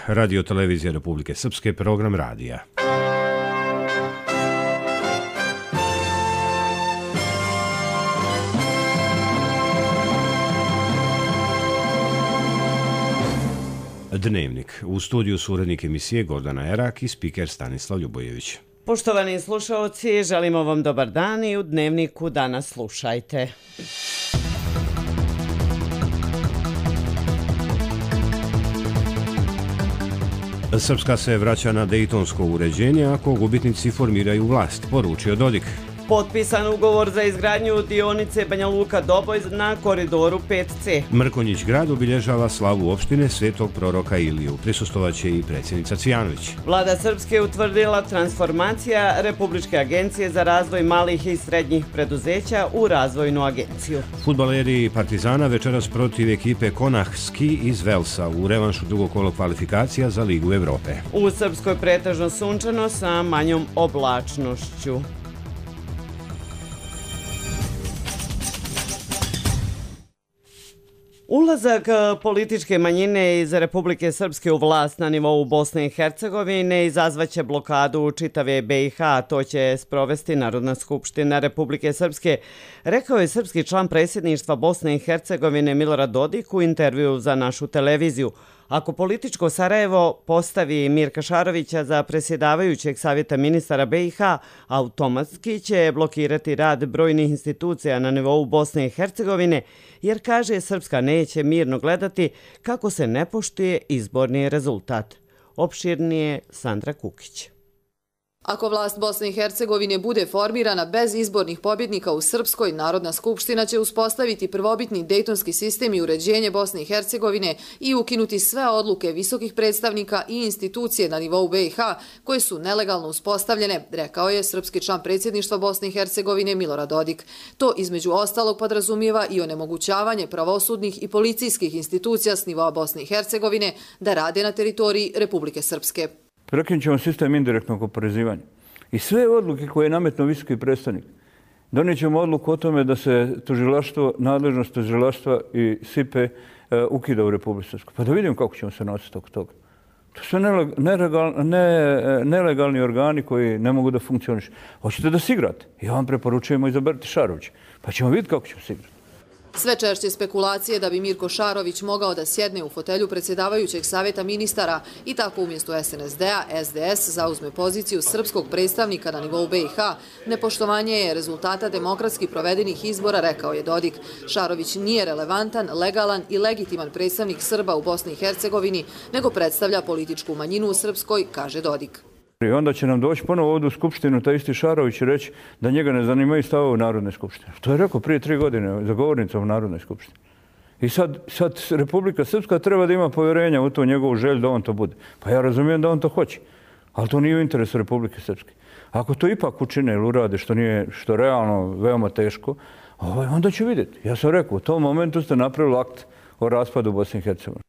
Radio Televizija Republike Srpske, program radija. Dnevnik. U studiju su urednik emisije Gordana Erak i spiker Stanislav Ljubojević. Poštovani slušaoci, želimo vam dobar dan i u Dnevniku danas slušajte. Srpska se vraća na dejtonsko uređenje ako gubitnici formiraju vlast, poručio Dodik. Potpisan ugovor za izgradnju dionice Banja Luka-Doboj na koridoru 5C. Mrkonjić grad obilježava slavu opštine Svetog proroka Iliju. Prisustvovaće i predsjednica Cvijanović. Vlada Srpske utvrdila transformacija Republičke agencije za razvoj malih i srednjih preduzeća u razvojnu agenciju. Fudbaleri Partizana večeras protiv ekipe Konahski iz Velsa u revanšu drugog kola kvalifikacija za Ligu Evrope. U Srpskoj pretežno sunčano sa manjom oblačnošću. Ulazak političke manjine iz Republike Srpske u vlast na nivou Bosne i Hercegovine izazvaće blokadu čitave BiH, a to će sprovesti Narodna skupština Republike Srpske, rekao je srpski član predsjedništva Bosne i Hercegovine Milorad Dodik u intervju za našu televiziju. Ako političko Sarajevo postavi Mirka Šarovića za predsjedavajućeg savjeta ministara BiH, automatski će blokirati rad brojnih institucija na nivou Bosne i Hercegovine, jer, kaže, Srpska neće mirno gledati kako se ne poštuje izborni rezultat. Opširnije Sandra Kukić. Ako vlast Bosne i Hercegovine bude formirana bez izbornih pobjednika u Srpskoj, Narodna skupština će uspostaviti prvobitni dejtonski sistem i uređenje Bosne i Hercegovine i ukinuti sve odluke visokih predstavnika i institucije na nivou BiH koje su nelegalno uspostavljene, rekao je srpski član predsjedništva Bosne i Hercegovine Milorad Dodik. To između ostalog podrazumijeva i onemogućavanje pravosudnih i policijskih institucija s nivoa Bosne i Hercegovine da rade na teritoriji Republike Srpske. Prekinut ćemo sistem indirektnog oporezivanja. I sve odluke koje je nametnuo visoki predstavnik, donijet ćemo odluku o tome da se tužilaštvo, nadležnost tužilaštva i SIPE ukida u Republiku Srpsku. Pa da vidimo kako ćemo se nositi oko toga. To su nelegalni organi koji ne mogu da funkcionišu. Hoćete da se igrate? Ja vam preporučujemo izaberati Šarovića. Pa ćemo vidjeti kako ćemo se igrati. Sve češće spekulacije da bi Mirko Šarović mogao da sjedne u fotelju predsjedavajućeg savjeta ministara i tako umjesto SNSD-a SDS zauzme poziciju srpskog predstavnika na nivou BiH, nepoštovanje je rezultata demokratski provedenih izbora, rekao je Dodik. Šarović nije relevantan, legalan i legitiman predstavnik Srba u Bosni i Hercegovini, nego predstavlja političku manjinu u Srpskoj, kaže Dodik. I onda će nam doći ponovo ovdje u Skupštinu taj isti Šarović i reći da njega ne zanimaju stavovi u Narodnoj skupštini. To je rekao prije 3 godine za govornicom u Narodnoj skupštini. I sad Republika Srpska treba da ima povjerenja u to njegovu želju da on to bude. Pa ja razumijem da on to hoće, ali to nije u interesu Republike Srpske. Ako to ipak učine ili urade što je realno veoma teško, onda ću vidjeti. Ja sam rekao, u tom momentu ste napravili akt o raspadu Bosne i Hercegovine.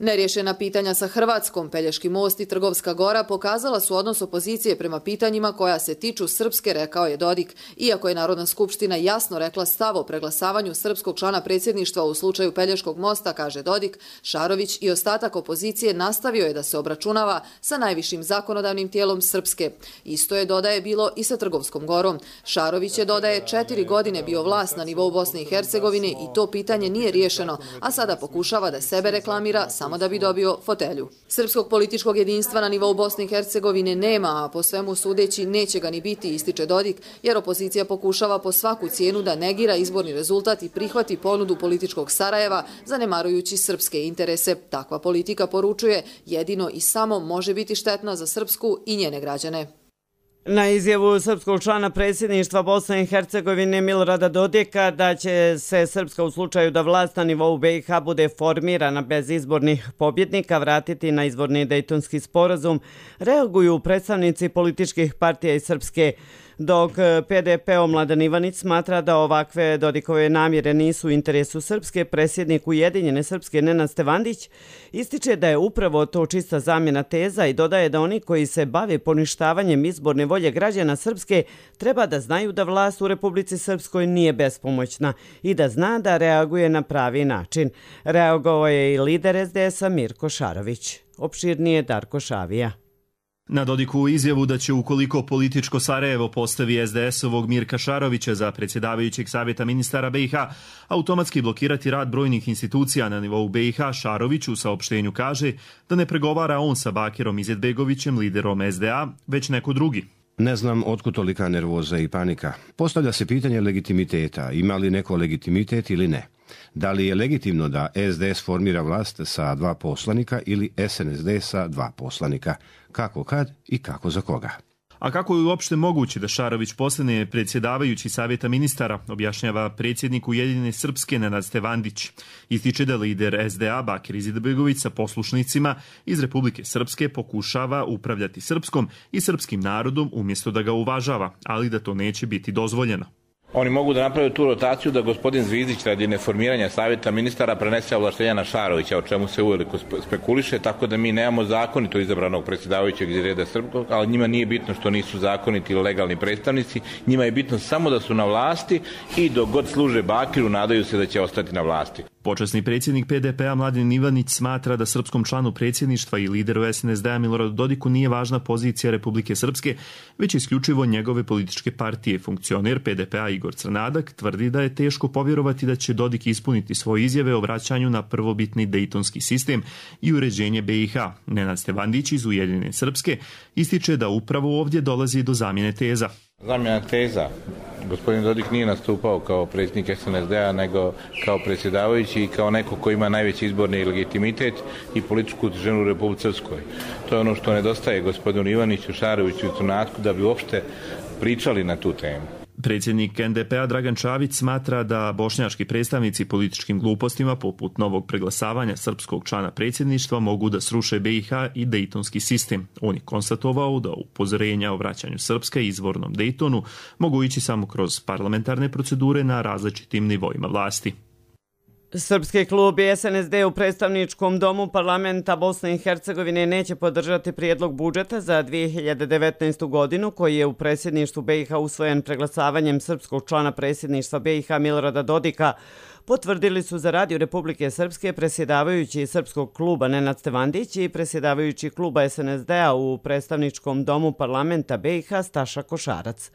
Nerješena pitanja sa Hrvatskom, Pelješki most i Trgovska gora pokazala su odnos opozicije prema pitanjima koja se tiču Srpske, rekao je Dodik. Iako je Narodna skupština jasno rekla stav o preglasavanju srpskog člana predsjedništva u slučaju Pelješkog mosta, kaže Dodik, Šarović i ostatak opozicije nastavio je da se obračunava sa najvišim zakonodavnim tijelom Srpske. Isto je, dodaje, bilo i sa Trgovskom gorom. Šarović je, dodaje, 4 godine bio vlast na nivou Bosne i Hercegovine i to pitanje nije riješeno, a sada pokušava da sebe reklamira samo da bi dobio fotelju. Srpskog političkog jedinstva na nivou Bosne i Hercegovine nema, a po svemu sudeći neće ga ni biti, ističe Dodik, jer opozicija pokušava po svaku cijenu da negira izborni rezultat i prihvati ponudu političkog Sarajeva, zanemarujući srpske interese. Takva politika, poručuje, jedino i samo može biti štetna za Srpsku i njene građane. Na izjavu srpskog člana predsjedništva Bosne i Hercegovine Milorada Dodika da će se Srpska u slučaju da vlast na nivou BiH bude formirana bez izbornih pobjednika vratiti na izvorni dejtonski sporazum, reaguju predstavnici političkih partija iz Srpske. Dok PDP-o Mladen Ivanić smatra da ovakve Dodikove namjere nisu u interesu Srpske, predsjednik Ujedinjene Srpske Nenad Stevandić ističe da je upravo to čista zamjena teza i dodaje da oni koji se bave poništavanjem izborne volje građana Srpske treba da znaju da vlast u Republici Srpskoj nije bespomoćna i da zna da reaguje na pravi način. Reagovao je i lider SDS-a Mirko Šarović. Opširnije Darko Šavija. Na Dodikovu izjavu da će ukoliko političko Sarajevo postavi SDS-ovog Mirka Šarovića za predsjedavajućeg savjeta ministara BiH, automatski blokirati rad brojnih institucija na nivou BiH, Šarović u saopštenju kaže da ne pregovara on sa Bakirom Izetbegovićem, liderom SDA, već neko drugi. Ne znam otkud tolika nervoza i panika. Postavlja se pitanje legitimiteta. Ima li neko legitimitet ili ne? Da li je legitimno da SDS formira vlast sa 2 poslanika ili SNSD sa 2 poslanika? Kako kad i kako za koga? A kako je uopšte moguće da Šarović postane predsjedavajući savjeta ministara, objašnjava predsjednik Ujedinjene Srpske Nenad Stevandić. Ističe da lider SDA Bakir Izetbegović sa poslušnicima iz Republike Srpske pokušava upravljati srpskom i srpskim narodom umjesto da ga uvažava, ali da to neće biti dozvoljeno. Oni mogu da naprave tu rotaciju da gospodin Zvizdić radi neformiranja savjeta ministara prenese ovlaštenja na Šarovića, o čemu se uveliko spekuliše, tako da mi nemamo zakonito izabranog predsjedavajućeg iz reda srpskog, ali njima nije bitno što nisu zakoniti ili legalni predstavnici, njima je bitno samo da su na vlasti i dok god služe Bakiru nadaju se da će ostati na vlasti. Počasni predsjednik PDP-a Mladen Ivanić smatra da srpskom članu predsjedništva i lideru SNSD-a Miloradu Dodiku nije važna pozicija Republike Srpske, već isključivo njegove političke partije. Funkcioner PDP-a Igor Crnadak tvrdi da je teško povjerovati da će Dodik ispuniti svoje izjave o vraćanju na prvobitni dejtonski sistem i uređenje BiH. Nenad Stevandić iz Ujedinjene Srpske ističe da upravo ovdje dolazi do zamjene teza. Zamjena teza. Gospodin Dodik nije nastupao kao predsjednik SNSD-a, nego kao predsjedavajući i kao neko ko ima najveći izborni legitimitet i političku ženu u Republici Srpskoj. To je ono što nedostaje gospodinu Ivaniću, Šaroviću i Crnatku da bi uopšte pričali na tu temu. Predsjednik NDP-a Dragan Čavić smatra da bošnjački predstavnici političkim glupostima poput novog preglasavanja srpskog člana predsjedništva mogu da sruše BiH i dejtonski sistem. On je konstatovao da upozorenja o vraćanju Srpske izvornom Dejtonu mogu ići samo kroz parlamentarne procedure na različitim nivoima vlasti. Srpski klub i SNSD u predstavničkom domu parlamenta Bosne i Hercegovine neće podržati prijedlog budžeta za 2019. godinu koji je u predsjedništvu BiH usvojen preglasavanjem srpskog člana predsjedništva BiH Milorada Dodika, potvrdili su za Radio Republike Srpske predsjedavajući Srpskog kluba Nenad Stevandić i predsjedavajući kluba SNSD-a u predstavničkom domu parlamenta BiH Staša Košarac.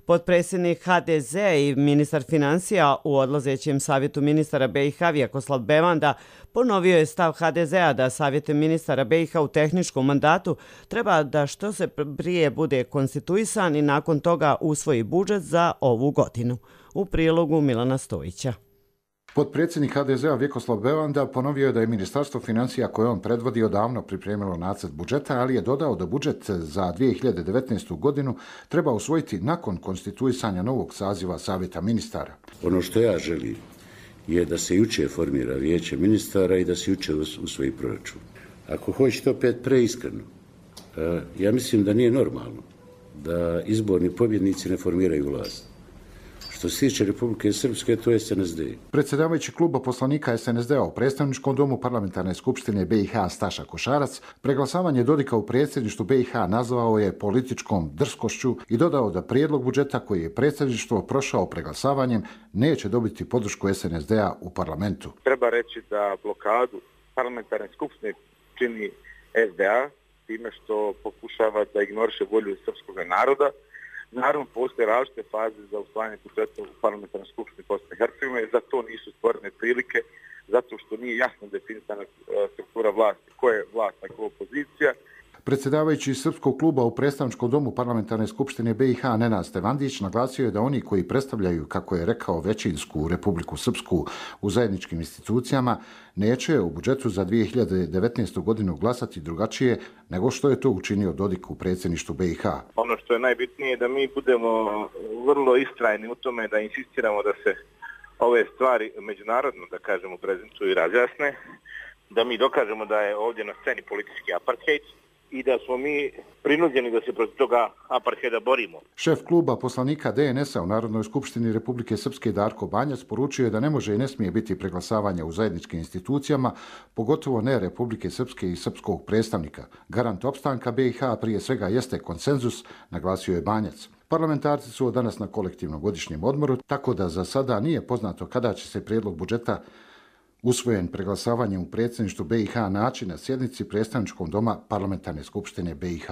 Potpredsjednik HDZ i ministar financija u odlazećem savjetu ministara BiH Vjekoslav Bevanda ponovio je stav HDZ-a da savjet ministara BiH u tehničkom mandatu treba da što se prije bude konstituisan i nakon toga usvoji budžet za ovu godinu. U prilogu Milana Stojića. Potpredsjednik HDZ-a Vjekoslav Bevanda ponovio je da je Ministarstvo financija koje on predvodi odavno pripremilo nacrt budžeta, ali je dodao da budžet za 2019. godinu treba usvojiti nakon konstituisanja novog saziva Savjeta ministara. Ono što ja želim je da se juče formira vijeće ministara i da se juče usvoji proračun. Ako hoćete opet preiskreno, ja mislim da nije normalno da izborni pobjednici ne formiraju vlast. Što se tiče Republike Srpske, to je SNSD. Predsjedavajući kluba poslanika SNSD-a u predstavničkom domu parlamentarne skupštine BiH Staša Košarac preglasavanje Dodika u predsjedništvu BiH nazvao je političkom drskošću i dodao da prijedlog budžeta koji je predsjedništvo prošao preglasavanjem neće dobiti podršku SNSD-a u parlamentu. Treba reći da blokadu parlamentarne skupštine čini SDA time što pokušava da ignoriše volju srpskog naroda. Naravno, postoje različite faze za usvajanje budžeta u parlamentarnoj skupštini Bosne i Hercegovine, za to nisu stvorene prilike, zato što nije jasno definisana struktura vlasti, ko je vlast, a ko je opozicija. Predsjedavajući Srpskog kluba u predstavničkom domu parlamentarne skupštine BiH Nenad Stevandić naglasio je da oni koji predstavljaju, kako je rekao, većinsku Republiku Srpsku u zajedničkim institucijama, neće u budžetu za 2019. godinu glasati drugačije nego što je to učinio Dodik u predsjedništvu BiH. Ono što je najbitnije je da mi budemo vrlo istrajni u tome da insistiramo da se ove stvari međunarodno, da kažemo, prezentuju i razjasne, da mi dokažemo da je ovdje na sceni politički apartheid i da smo mi prinuđeni da se protiv toga apartheida borimo. Šef kluba poslanika DNS-a u Narodnoj skupštini Republike Srpske Darko Banjac poručio je da ne može i ne smije biti preglasavanja u zajedničkim institucijama, pogotovo ne Republike Srpske i srpskog predstavnika. Garant opstanka BiH prije svega jeste konsenzus, naglasio je Banjac. Parlamentarci su danas na kolektivnom godišnjem odmoru, tako da za sada nije poznato kada će se prijedlog budžeta usvojen preglasavanjem u predsjedništvu BiH naći na sjednici predstavničkog doma Parlamentarne skupštine BiH.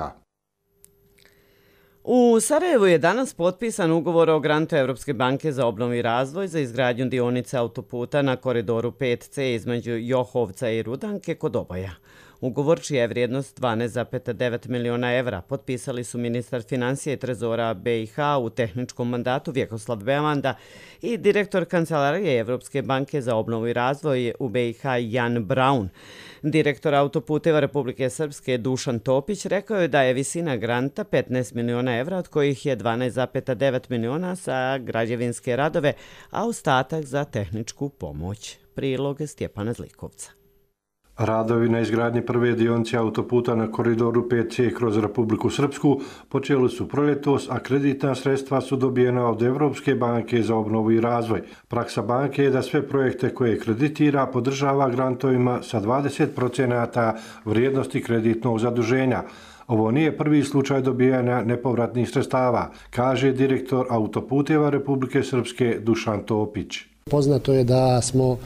U Sarajevu je danas potpisan ugovor o grantu Evropske banke za obnovu i razvoj za izgradnju dionice autoputa na koridoru 5C između Johovca i Rudanke kod Oboja. Ugovor, čija je vrijednost 12,9 miliona evra, potpisali su ministar financija i trezora BiH u tehničkom mandatu Vjekoslav Bevanda i direktor Kancelarije Evropske banke za obnovu i razvoj u BiH Jan Braun. Direktor autoputeva Republike Srpske Dušan Topić rekao je da je visina granta 15 miliona evra, od kojih je 12,9 miliona za građevinske radove, a ostatak za tehničku pomoć. Prilog Stjepana Zlikovca. Radovi na izgradnji prve dionice autoputa na koridoru 5C kroz Republiku Srpsku počeli su proljetos, a kreditna sredstva su dobijena od Evropske banke za obnovu i razvoj. Praksa banke je da sve projekte koje kreditira podržava grantovima sa 20% vrijednosti kreditnog zaduženja. Ovo nije prvi slučaj dobijanja nepovratnih sredstava, kaže direktor autoputeva Republike Srpske Dušan Topić. Poznato je da smo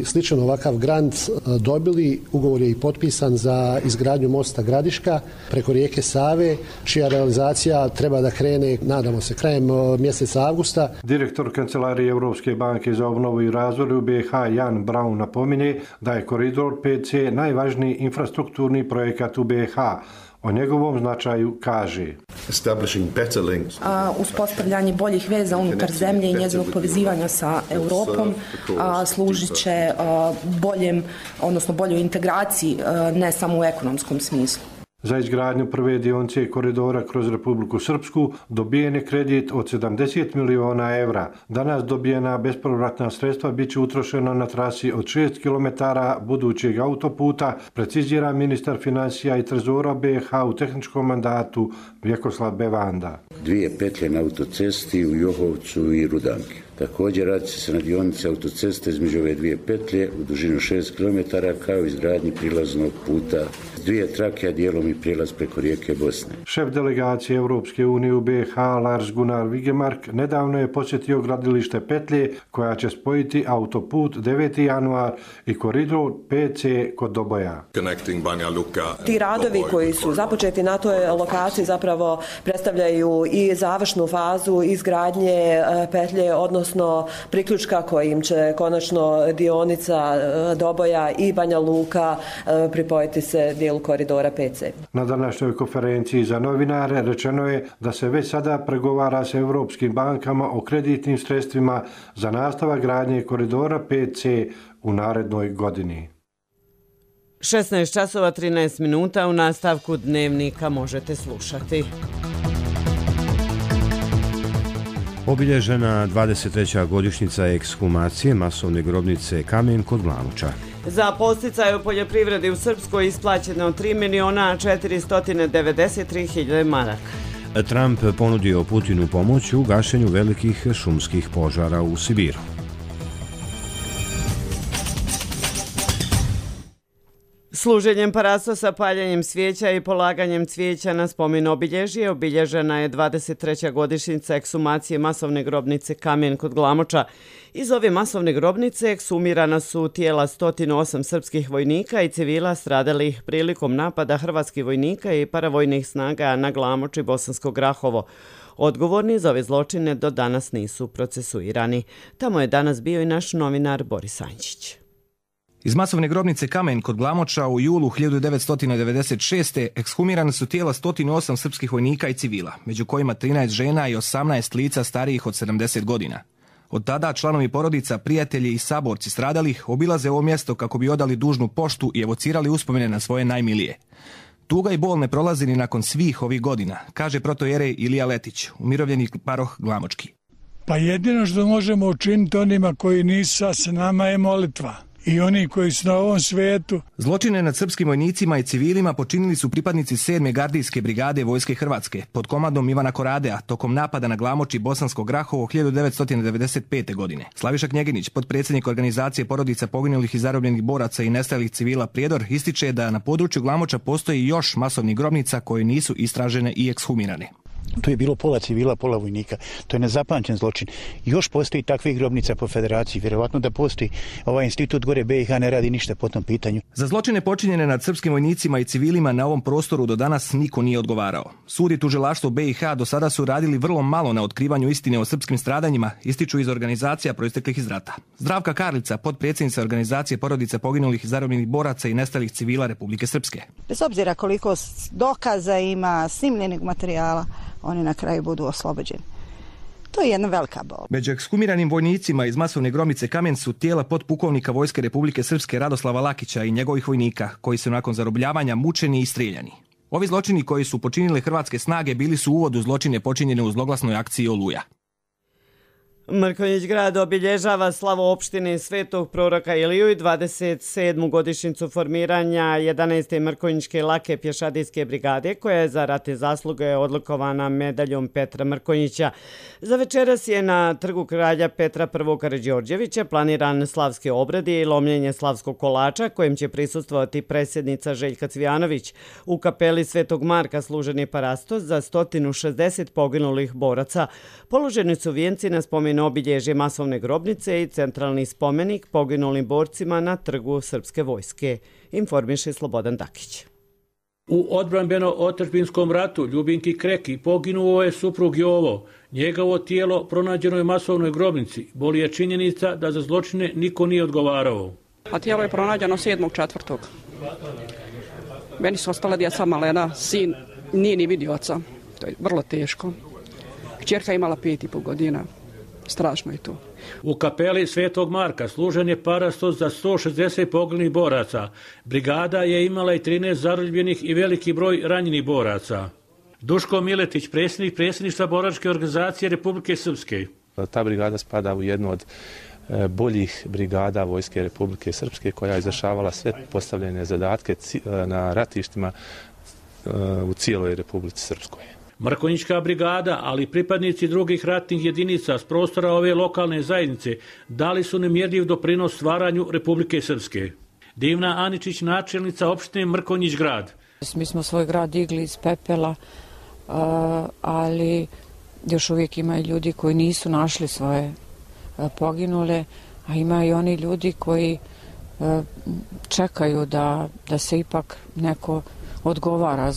sličan ovakav grant dobili, ugovor je i potpisan za izgradnju mosta Gradiška preko rijeke Save, čija realizacija treba da krene, nadamo se, krajem mjeseca avgusta. Direktor Kancelarije Evropske banke za obnovu i razvoj u BiH Jan Braun napominje da je koridor 5C najvažniji infrastrukturni projekat u BiH. O njegovom značaju kaže: uspostavljanje boljih veza unutar zemlje i njezinog povezivanja sa Europom služit će boljoj integraciji, ne samo u ekonomskom smislu. Za izgradnju prve dionice koridora kroz Republiku Srpsku dobijen je kredit od 70 miliona evra. Danas dobijena bespovratna sredstva bit će utrošena na trasi od 6 km budućeg autoputa, precizira ministar financija i trezora BiH u tehničkom mandatu Vjekoslav Bevanda. 2 petlje na autocesti u Johovcu i Rudanki. Također radi se na dionici autoceste između ove 2 petlje u dužinu 6 km kao i izgradnji prilaznog puta 2 trake, a dijelom i prijelaz preko rijeke Bosne. Šef delegacije Europske unije u BiH Lars Gunnar Vigemark nedavno je posjetio gradilište petlje koja će spojiti autoput 9. januar i koridor 5C kod Doboja. Ti radovi koji su započeti na toj lokaciji zapravo predstavljaju i završnu fazu izgradnje petlje, odnosno priključka kojim će konačno dionica Doboja i Banja Luka pripojiti se dijelu koridora 5C. Na današnjoj konferenciji za novinare rečeno je da se već sada pregovara sa europskim bankama o kreditnim sredstvima za nastavak gradnje koridora 5C u narednoj godini. 16 časova 13 minuta u nastavku dnevnika možete slušati. Obilježena 23. godišnjica ekshumacije masovne grobnice Kamen kod Glamoča. Za podsticaj u poljoprivredi u Srpskoj isplaćeno 3.493.000 maraka. Trump ponudio Putinu pomoć u gašenju velikih šumskih požara u Sibiru. Služenjem parastosa, paljenjem svijeća i polaganjem cvijeća na spomen obilježje obilježena je 23. godišnjica ekshumacije masovne grobnice Kamen kod Glamoča. Iz ove masovne grobnice ekshumirana su tijela 108 srpskih vojnika i civila stradalih prilikom napada hrvatskih vojnika i paravojnih snaga na Glamoč i Bosansko Grahovo. Odgovorni za ove zločine do danas nisu procesuirani. Tamo je danas bio i naš novinar Boris Ančić. Iz masovne grobnice Kamen kod Glamoča u julu 1996. ekshumirane su tijela 108 srpskih vojnika i civila, među kojima 13 žena i 18 lica starijih od 70 godina. Od tada članovi porodica, prijatelji i saborci stradalih obilaze ovo mjesto kako bi odali dužnu poštu i evocirali uspomene na svoje najmilije. Tuga i bol ne prolazi ni nakon svih ovih godina, kaže protojerej Ilija Letić, umirovljeni paroh Glamočki. Pa jedino što možemo učiniti onima koji nisu s nama je molitva. i oni koji su na ovom svetu. Zločine nad srpskim vojnicima i civilima počinili su pripadnici 7. gardijske brigade Vojske Hrvatske pod komandom Ivana Koradea tokom napada na Glamoč i Bosansko Grahovo 1995. godine. Slaviša Knjeginić, potpredsjednik organizacije porodica poginulih i zarobljenih boraca i nestalih civila Prijedor, ističe da na području Glamoča postoji još masovnih grobnica koje nisu istražene i ekshumirane. To je bilo pola civila, pola vojnika. To je nezapamćen zločin. Još postoji takvih grobnica po federaciji. Vjerovatno da postoji. Ovaj institut gore BiH ne radi ništa po tom pitanju. Za zločine počinjene nad srpskim vojnicima i civilima na ovom prostoru do danas niko nije odgovarao. Sud i tužilaštvo BiH do sada su radili vrlo malo na otkrivanju istine o srpskim stradanjima, ističu iz organizacija proisteklih iz rata. Zdravka Karlica, potpredsjednica organizacije porodica poginulih i zarobljenih boraca i nestalih civila Republike Srpske. Bez obzira koliko dokaza ima, snimljenih materijala, oni na kraju budu oslobođeni. To je jedna velika bol. Među ekshumiranim vojnicima iz masovne grobnice Kamen su tijela potpukovnika Vojske Republike Srpske Radoslava Lakića i njegovih vojnika, koji su nakon zarobljavanja mučeni i strijeljani. Ovi zločini koji su počinile hrvatske snage bili su uvod u zločine počinjene u zloglasnoj akciji Oluja. Mrkonjić grad obilježava slavu opštine Svetog proroka Iliju i 27. godišnjicu formiranja 11. Mrkonjićke lake pješadijske brigade, koja je za ratne zasluge odlikovana medaljom Petra Mrkonjića. Za večeras je na trgu kralja Petra I. Karađorđevića planiran slavski obrad i lomljenje slavskog kolača, kojem će prisustvovati predsjednica Željka Cvijanović. U kapeli Svetog Marka služen je parastos za 160 poginulih boraca. Položeni su vijenci na spomen obilježje masovne grobnice i centralni spomenik poginulim borcima na trgu Srpske vojske, informiše Slobodan Dakić. U odbrambeno-otadžbinskom ratu Ljubinki Kreki poginuo je suprug Jovo. Njegovo tijelo pronađeno je u masovnoj grobnici. Boli je činjenica da za zločine niko nije odgovarao. A tijelo je pronađeno 7.4. Meni su ostala djeca malena, sin nije ni vidio oca. To je vrlo teško. Kćerka imala 5,5 godina. Strašno je to. U kapeli Svetog Marka služen je parastos za 160 poginulih boraca. Brigada je imala i 13 zarobljenih i veliki broj ranjenih boraca. Duško Miletić, predsjednik predsjedništva boračke organizacije Republike Srpske. Ta brigada spada u jednu od boljih brigada Vojske Republike Srpske, koja je izvršavala sve postavljene zadatke na ratištima u cijeloj Republici Srpskoj. Mrkonjićka brigada, ali pripadnici drugih ratnih jedinica s prostora ove lokalne zajednice dali su nemjerljiv doprinos stvaranju Republike Srpske. Divna Aničić, načelnica opštine Mrkonjić grad. Mi smo svoj grad digli iz pepela, ali još uvijek ima i ljudi koji nisu našli svoje poginule, a ima i oni ljudi koji čekaju da se ipak neko odgovara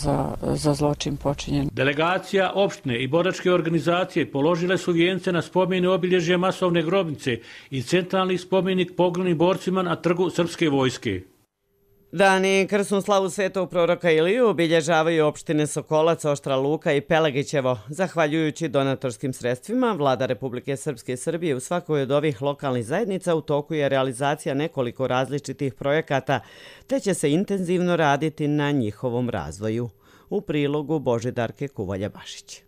za zločin počinjen. Delegacija opštine i boračke organizacije položile su vijence na spomene obilježje masovne grobnice i centralni spomenik poginulim borcima na trgu Srpske vojske. Dan i krsnu slavu Svetog proroka Iliju obilježavaju opštine Sokolac, Oštra Luka i Pelagićevo. Zahvaljujući donatorskim sredstvima, Vlada Republike Srpske i Srbije u svakoj od ovih lokalnih zajednica u toku je realizacija nekoliko različitih projekata, te će se intenzivno raditi na njihovom razvoju. U prilogu Božidarke Kuvalja-Bašić.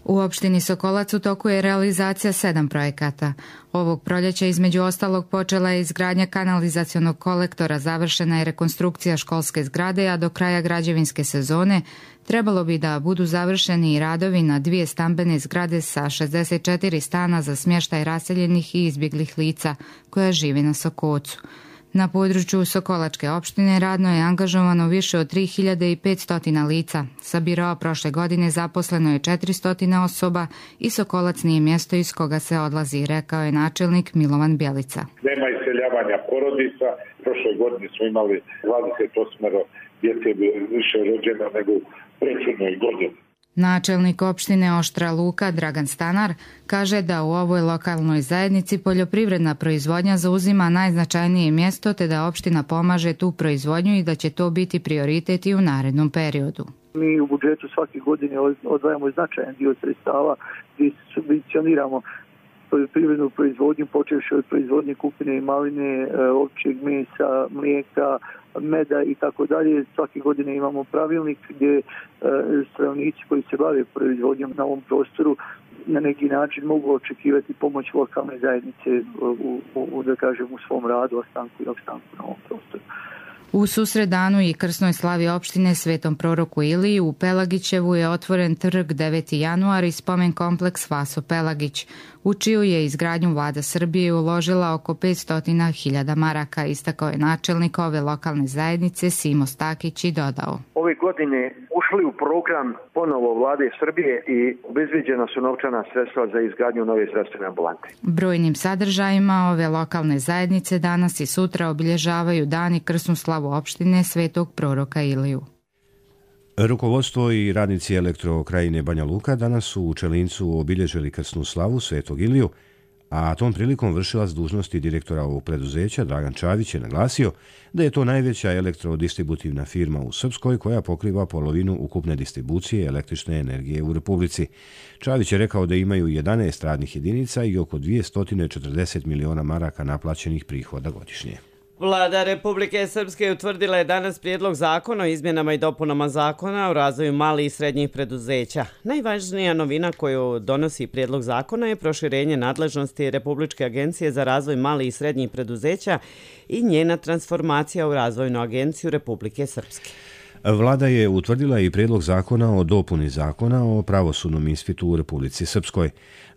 U opštini Sokolac u toku je realizacija 7 projekata. Ovog proljeća između ostalog počela je izgradnja kanalizacionog kolektora, završena je rekonstrukcija školske zgrade, a do kraja građevinske sezone trebalo bi da budu završeni i radovi na 2 stambene zgrade sa 64 stana za smještaj raseljenih i izbjeglih lica koja žive na Sokocu. Na području Sokolačke opštine radno je angažovano više od 3500 lica. Sa biroa prošle godine zaposleno je 400 osoba i Sokolac nije mjesto iz koga se odlazi, rekao je načelnik Milovan Bjelica. Nema iseljavanja porodica. Prošle godine smo imali 28 djece više rođena nego u prethodnoj godini. Načelnik opštine Oštra Luka Dragan Stanar kaže da u ovoj lokalnoj zajednici poljoprivredna proizvodnja zauzima najznačajnije mjesto, te da opština pomaže tu proizvodnju i da će to biti prioritet i u narednom periodu. Mi u budžetu svake godine odvajamo značajan dio sredstava gdje subvencioniramo poljoprivrednu proizvodnju, počevši od proizvodnje kupine i maline, ovčjeg mesa, mlijeka, meda i tako dalje. Svake godine imamo pravilnik gdje stanovnici koji se bave proizvodnjom na ovom prostoru na neki način mogu očekivati pomoć lokalne zajednice da kažem, u svom radu, ostanku i opstanku na ovom prostoru. U susredanu i krsnoj slavi opštine Svetom proroku Iliji u Pelagićevu je otvoren trg 9. januar i spomen kompleks Vaso Pelagić, u čiju je izgradnju vlada Srbije uložila oko 500.000 maraka, istakao je načelnik ove lokalne zajednice Simo Stakić i dodao. Ove godine ušli u program ponovo vlade Srbije i obezbeđena su novčana sredstva za izgradnju nove zdravstvene ambulante. Brojnim sadržajima ove lokalne zajednice danas i sutra obilježavaju dan i krsnu slavu opštine Svetog proroka Iliju. Rukovodstvo i radnici Elektrokrajine Banja Luka danas su u Čelincu obilježili krsnu slavu Svetog Iliju, a tom prilikom vršilac dužnosti direktora ovog preduzeća Dragan Čavić je naglasio da je to najveća elektrodistributivna firma u Srpskoj koja pokriva polovinu ukupne distribucije električne energije u Republici. Čavić je rekao da imaju 11 radnih jedinica i oko 240 miliona maraka naplaćenih prihoda godišnje. Vlada Republike Srpske utvrdila je danas prijedlog zakona o izmjenama i dopunama zakona o razvoju malih i srednjih preduzeća. Najvažnija novina koju donosi prijedlog zakona je proširenje nadležnosti Republičke agencije za razvoj malih i srednjih preduzeća i njena transformacija u Razvojnu agenciju Republike Srpske. Vlada je utvrdila i prijedlog zakona o dopuni zakona o pravosudnom ispitu u Republici Srpskoj.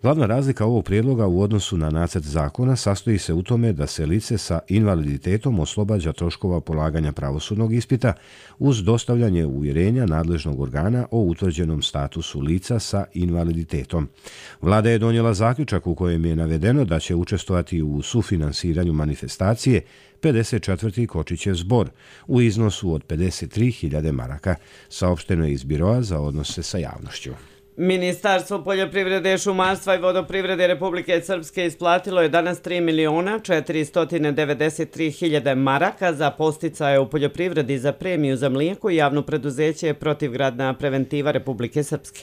Glavna razlika ovog prijedloga u odnosu na nacrt zakona sastoji se u tome da se lice sa invaliditetom oslobađa troškova polaganja pravosudnog ispita uz dostavljanje uvjerenja nadležnog organa o utvrđenom statusu lica sa invaliditetom. Vlada je donijela zaključak u kojem je navedeno da će učestvovati u sufinansiranju manifestacije 54. Kočićev zbor u iznosu od 53.000 maraka, saopšteno je iz Biroa za odnose sa javnošću. Ministarstvo poljoprivrede, šumarstva i vodoprivrede Republike Srpske isplatilo je danas 3.493.000 maraka za podsticaje u poljoprivredi za premiju za mlijeko i javno preduzeće Protivgradna preventiva Republike Srpske.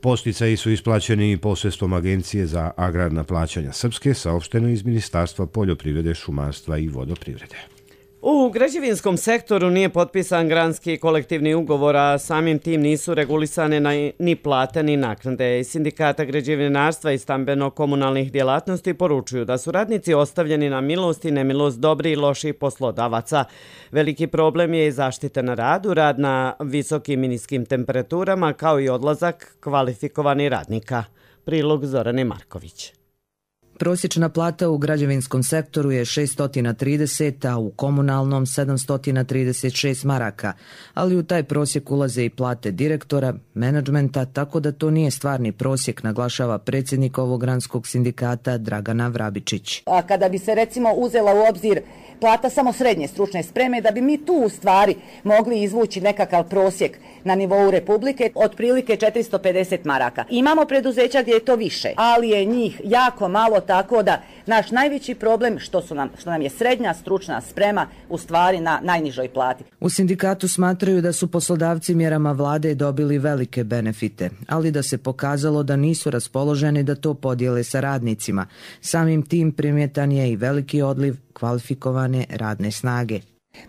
Podsticaji su isplaćeni posredstvom Agencije za agrarna plaćanja Srpske, saopšteno iz Ministarstva poljoprivrede, šumarstva i vodoprivrede. U građevinskom sektoru nije potpisan granski kolektivni ugovor, a samim tim nisu regulisane ni plate ni naknade. Iz Sindikata građevinarstva i stambeno-komunalnih djelatnosti poručuju da su radnici ostavljeni na milost i nemilost dobrih i loših poslodavaca. Veliki problem je i zaštita na radu, rad na visokim i niskim temperaturama, kao i odlazak kvalifikovanih radnika. Prilog Zorane Marković. Prosječna plata u građevinskom sektoru je 630, a u komunalnom 736 maraka, ali u taj prosjek ulaze i plate direktora, menadžmenta, tako da to nije stvarni prosjek, naglašava predsjednik ovog granskog sindikata Dragana Vrabičić. A kada bi se recimo uzela u obzir plata samo srednje stručne spreme, da bi mi tu u stvari mogli izvući nekakav prosjek na nivou Republike, otprilike 450 maraka. Imamo preduzeća gdje je to više, ali je njih jako malo, tako da naš najveći problem što nam je srednja stručna sprema u stvari na najnižoj plati. U sindikatu smatraju da su poslodavci mjerama vlade dobili velike benefite, ali da se pokazalo da nisu raspoloženi da to podijele sa radnicima. Samim tim primjetan je i veliki odliv kvalifikovane radne snage.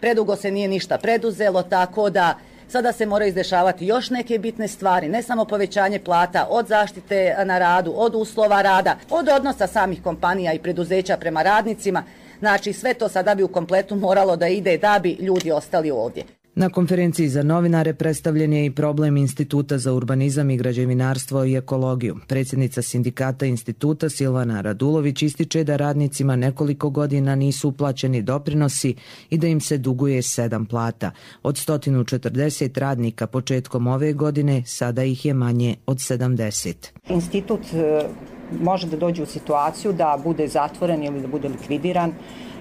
Predugo se nije ništa preduzelo, tako da sada se moraju izdešavati još neke bitne stvari, ne samo povećanje plata, od zaštite na radu, od uslova rada, od odnosa samih kompanija i preduzeća prema radnicima. Znači sve to sada bi u kompletu moralo da ide da bi ljudi ostali ovdje. Na konferenciji za novinare predstavljen je i problem Instituta za urbanizam i građevinarstvo i ekologiju. Predsjednica sindikata instituta Silvana Radulović ističe da radnicima nekoliko godina nisu uplaćeni doprinosi i da im se duguje 7 plata. Od 140 radnika početkom ove godine sada ih je manje od 70. Institut može da dođe u situaciju da bude zatvoren ili da bude likvidiran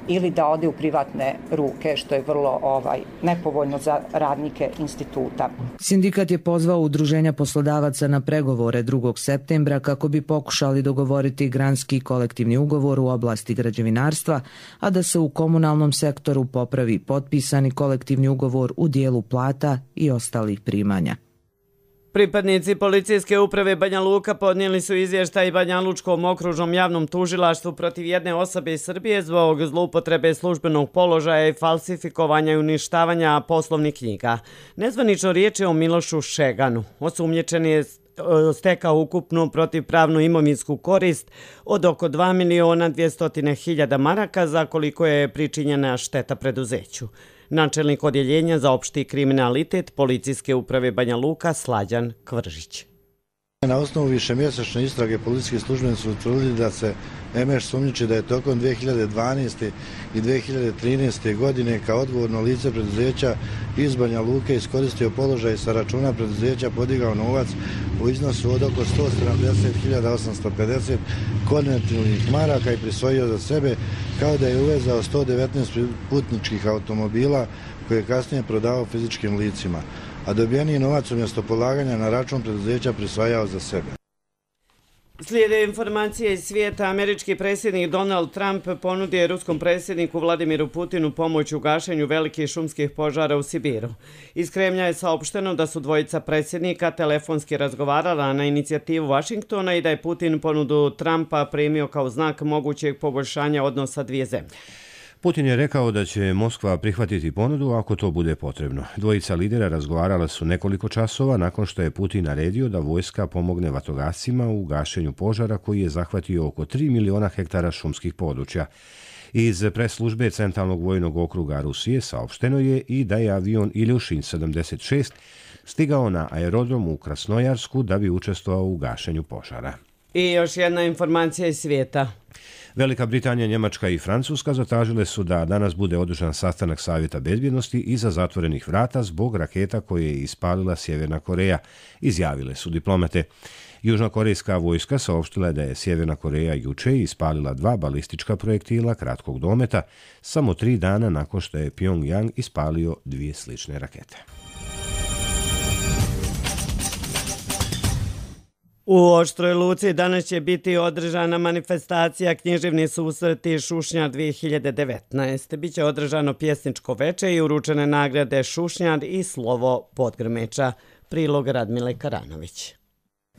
ili da ode u privatne ruke, što je vrlo nepovoljno za radnike instituta. Sindikat je pozvao udruženja poslodavaca na pregovore 2. septembra kako bi pokušali dogovoriti granski kolektivni ugovor u oblasti građevinarstva, a da se u komunalnom sektoru popravi potpisani kolektivni ugovor u dijelu plata i ostalih primanja. Pripadnici policijske uprave Banja Luka podnijeli su izvještaj Banja Lučkom okružnom javnom tužilaštvu protiv jedne osobe iz Srbije zbog zloupotrebe službenog položaja i falsifikovanja i uništavanja poslovnih knjiga. Nezvanično riječ je o Milošu Šeganu. Osumnjičeni je stekao ukupnu protivpravnu imovinsku korist od oko 2.200.000 maraka za koliko je pričinjena šteta preduzeću. Načelnik odjeljenja za opšti kriminalitet Policijske uprave Banja Luka Slađan Kvržić. Na osnovu višemjesečne istrage policijski službenici su utvrdili da se Emeš sumnjiči da je tokom 2012. i 2013. godine kao odgovorno lice preduzeća iz Banja Luke iskoristio položaj sa računa preduzeća podigao novac u iznosu od oko 170.850 konvertibilnih maraka i prisvojio za sebe, kao da je uvezao 119 putničkih automobila koje je kasnije prodavao fizičkim licima, a dobijeni novac umjesto polaganja na račun preduzeća prisvajao za sebe. Slijede informacije iz svijeta. Američki predsjednik Donald Trump ponudio je ruskom predsjedniku Vladimiru Putinu pomoć u gašenju velikih šumskih požara u Sibiru. Iz Kremlja je saopšteno da su dvojica predsjednika telefonski razgovarala na inicijativu Vašingtona i da je Putin ponudu Trumpa primio kao znak mogućeg poboljšanja odnosa dvije zemlje. Putin je rekao da će Moskva prihvatiti ponudu ako to bude potrebno. Dvojica lidera razgovarala su nekoliko časova nakon što je Putin naredio da vojska pomogne vatrogascima u gašenju požara koji je zahvatio oko 3 miliona hektara šumskih područja. Iz pres službe Centralnog vojnog okruga Rusije saopšteno je i da je avion Iljušin 76 stigao na aerodrom u Krasnojarsku da bi učestvovao u gašenju požara. I još jedna informacija iz svijeta. Velika Britanija, Njemačka i Francuska zatražile su da danas bude održan sastanak Savjeta bezbjednosti iza zatvorenih vrata zbog raketa koje je ispalila Sjeverna Koreja, izjavile su diplomate. Južnokorejska vojska saopštila je da je Sjeverna Koreja juče ispalila 2 balistička projektila kratkog dometa samo 3 dana nakon što je Pyongyang ispalio 2 slične rakete. U Oštroj Luci danas će biti održana manifestacija Književni susreti Šušnjar 2019. Biće održano pjesničko veče i uručene nagrade Šušnjar i slovo Podgrmeča. Prilog Radmile Karanović.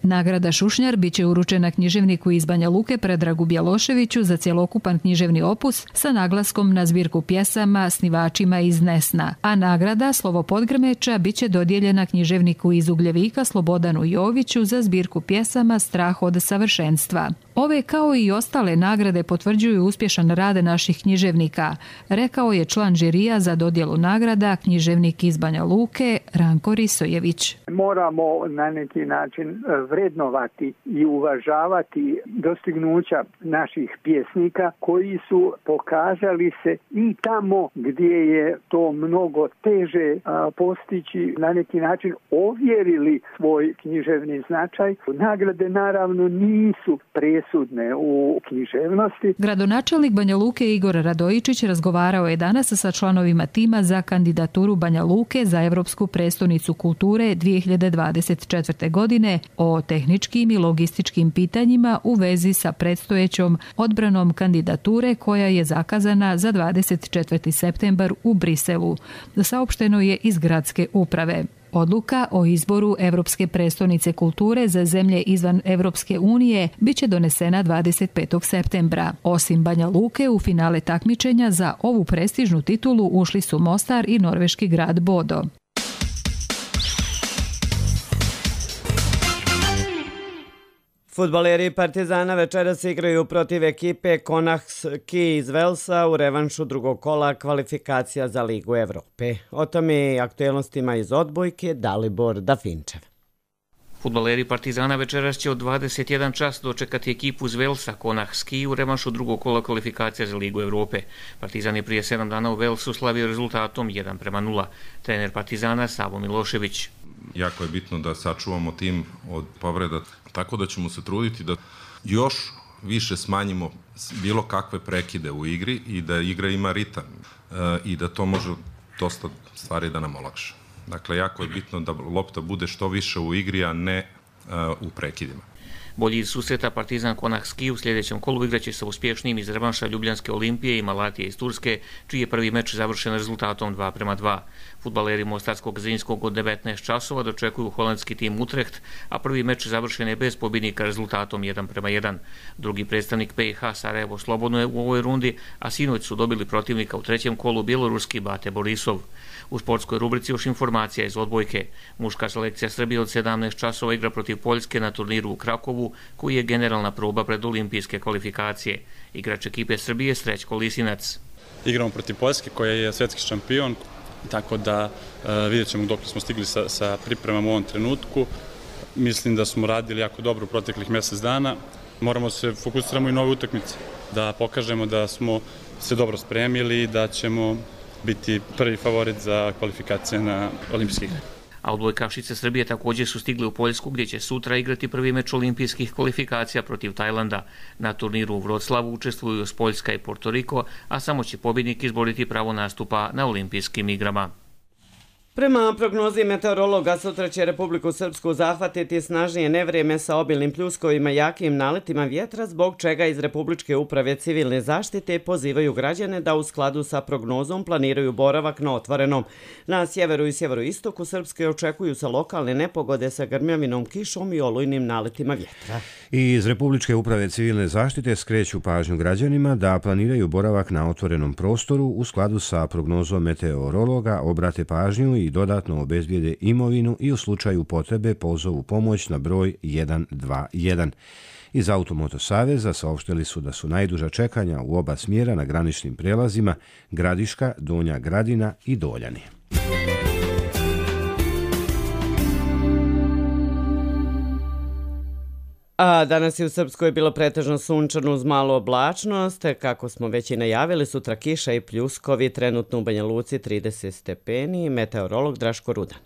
Nagrada Šušnjar biće uručena književniku iz Banja Luke Predragu Bjeloševiću za cjelokupan književni opus sa naglaskom na zbirku pjesama Snivačima iz Nesna, a nagrada Slovo Podgrmeča biće dodijeljena književniku iz Ugljevika Slobodanu Joviću za zbirku pjesama Strah od savršenstva. Ove kao i ostale nagrade potvrđuju uspješan rad naših književnika, rekao je član žirija za dodjelu nagrada književnik iz Banja Luke Ranko Risojević. Moramo na neki način vrednovati i uvažavati dostignuća naših pjesnika koji su pokazali se i tamo gdje je to mnogo teže postići, na neki način ovjerili svoj književni značaj. Nagrade naravno nisu presudne u književnosti. Gradonačelnik Banja Luke Igor Radojičić razgovarao je danas sa članovima tima za kandidaturu Banja Luke za Europsku prestonicu kulture 2024. godine o tehničkim i logističkim pitanjima u vezi sa predstojećom odbranom kandidature koja je zakazana za 24. septembar u Briselu. Saopšteno je iz gradske uprave. Odluka o izboru Europske prestonice kulture za zemlje izvan Europske unije biće donesena 25. septembra. Osim Banja Luke, u finale takmičenja za ovu prestižnu titulu ušli su Mostar i norveški grad Bodo. Fudbaleri Partizana večeras igraju protiv ekipe Konahski iz Velsa u revanšu drugog kola kvalifikacija za Ligu Evrope. O tome i aktuelnostima iz odbojke Dalibor Dafinčev. Fudbaleri Partizana večeras će od 21 čas dočekati ekipu iz Velsa Konahski u revanšu drugog kola kvalifikacija za Ligu Evrope. Partizan je prije 7 dana u Velsu slavio rezultatom 1:0. Trener Partizana Savo Milošević. Jako je bitno da sačuvamo tim od povreda, tako da ćemo se truditi da još više smanjimo bilo kakve prekide u igri i da igra ima ritam i da to može dosta stvari da nam olakša. Dakle, jako je bitno da lopta bude što više u igri, a ne u prekidima. Bolji iz susreta Partizan Konahski u sljedećem kolu igraće sa uspješnijim iz revanša Ljubljanske Olimpije i Malatije iz Turske, čiji je prvi meč završen rezultatom 2:2. Fudbaleri Mostarskog Zrinjskog od 19 časova dočekuju holandski tim Utrecht, a prvi meč završen je bez pobjednika rezultatom 1:1. Drugi predstavnik BiH Sarajevo slobodno je u ovoj rundi, a sinoć su dobili protivnika u trećem kolu bjeloruski Bate Borisov. U sportskoj rubrici još informacija iz odbojke. Muška selekcija Srbije od 17 časova igra protiv Poljske na turniru u Krakovu, koji je generalna proba pred olimpijske kvalifikacije. Igrač ekipe Srbije Srećko Lisinac. Igramo protiv Poljske koja je svjetski šampion, tako da vidjet ćemo dok smo stigli sa pripremama u ovom trenutku. Mislim da smo radili jako dobro u proteklih mjesec dana. Moramo se fokusiramo i nove utakmice, da pokažemo da smo se dobro spremili i da ćemo biti prvi favorit za kvalifikacije na olimpijskih. A odbojkašice Srbije također su stigli u Poljsku, gdje će sutra igrati prvi meč olimpijskih kvalifikacija protiv Tajlanda. Na turniru u Vroclavu učestvuju Poljska i Porto Riko, a samo će pobjednik izboriti pravo nastupa na olimpijskim igrama. Prema prognozi meteorologa, sutra će Republiku Srpsku zahvatiti snažnije nevrijeme sa obilnim pljuskovima i jakim naletima vjetra, zbog čega iz Republičke uprave civilne zaštite pozivaju građane da u skladu sa prognozom planiraju boravak na otvorenom. Na sjeveru i sjeveroistoku Srpske očekuju se lokalne nepogode sa grmljavinom, kišom i olujnim naletima vjetra. I iz Republičke uprave civilne zaštite skreću pažnju građanima da planiraju boravak na otvorenom prostoru u skladu sa prognozom meteorologa, obrate pažnju i dodatno obezbijede imovinu i u slučaju potrebe pozovu pomoć na broj 121. Iz Automoto Saveza saopštili su da su najduža čekanja u oba smjera na graničnim prelazima Gradiška, Donja Gradina i Doljani. A danas je u Srpskoj bilo pretežno sunčano uz malu oblačnost. Kako smo već i najavili, sutra kiša i pljuskovi, trenutno u Banja Luci 30 stepeni, meteorolog Draško Rudan.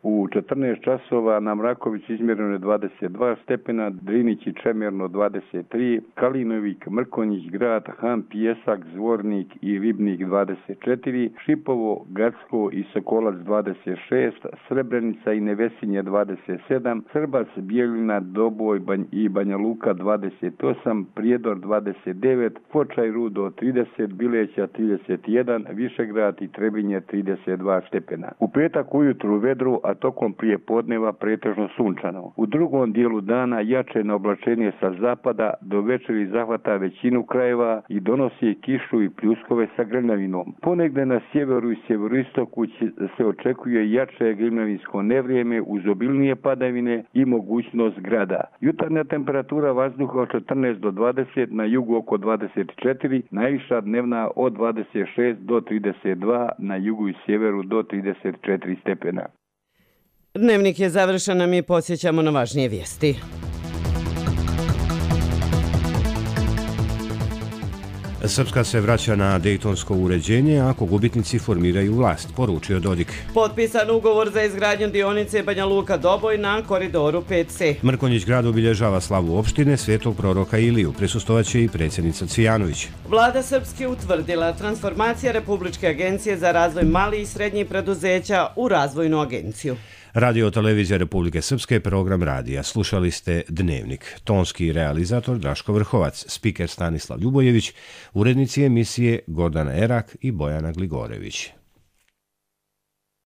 U 14 časova na Mraković izmjereno je 22 stepena, Drinić i Čemerno 23, Kalinovik, Mrkonjić, Grad, Han, Pijesak, Zvornik i Ribnik 24, Šipovo, Gacko i Sokolac 26, Srebrenica i Nevesinje 27, Srbac, Bijeljina, Doboj i Banja Luka 28, Prijedor 29, Foča i Rudo 30, Bileća 31, Višegrad i Trebinje 32 stepena. U petak ujutru vedru, a tokom prije podneva pretežno sunčano. U drugom dijelu dana jače na oblačenje sa zapada, do večeri zahvata većinu krajeva i donosi kišu i pljuskove sa grmljavinom. Ponegde na sjeveru i sjeveroistoku se očekuje jače grmljavinsko nevrijeme uz obilnije padavine i mogućnost grada. Jutarnja temperatura vazduha od 14 do 20, na jugu oko 24, najviša dnevna od 26 do 32, na jugu i sjeveru do 34 stepena. Dnevnik je završen, a mi podsjećamo na važnije vijesti. Srpska se vraća na dejtonsko uređenje ako gubitnici formiraju vlast, poručio Dodik. Potpisan ugovor za izgradnju dionice Banja Luka-Doboj na koridoru 5C. Mrkonjić grad obilježava slavu opštine Svetog proroka Iliju. Prisustovat i predsjednica Cvijanović. Vlada Srpske utvrdila transformacija Republičke agencije za razvoj malih i srednjih preduzeća u razvojnu agenciju. Radio televizija Republike Srpske, program radija. Slušali ste Dnevnik. Tonski realizator Draško Vrhovac, spiker Stanislav Ljubojević, urednici emisije Gordana Erak i Bojana Gligorević.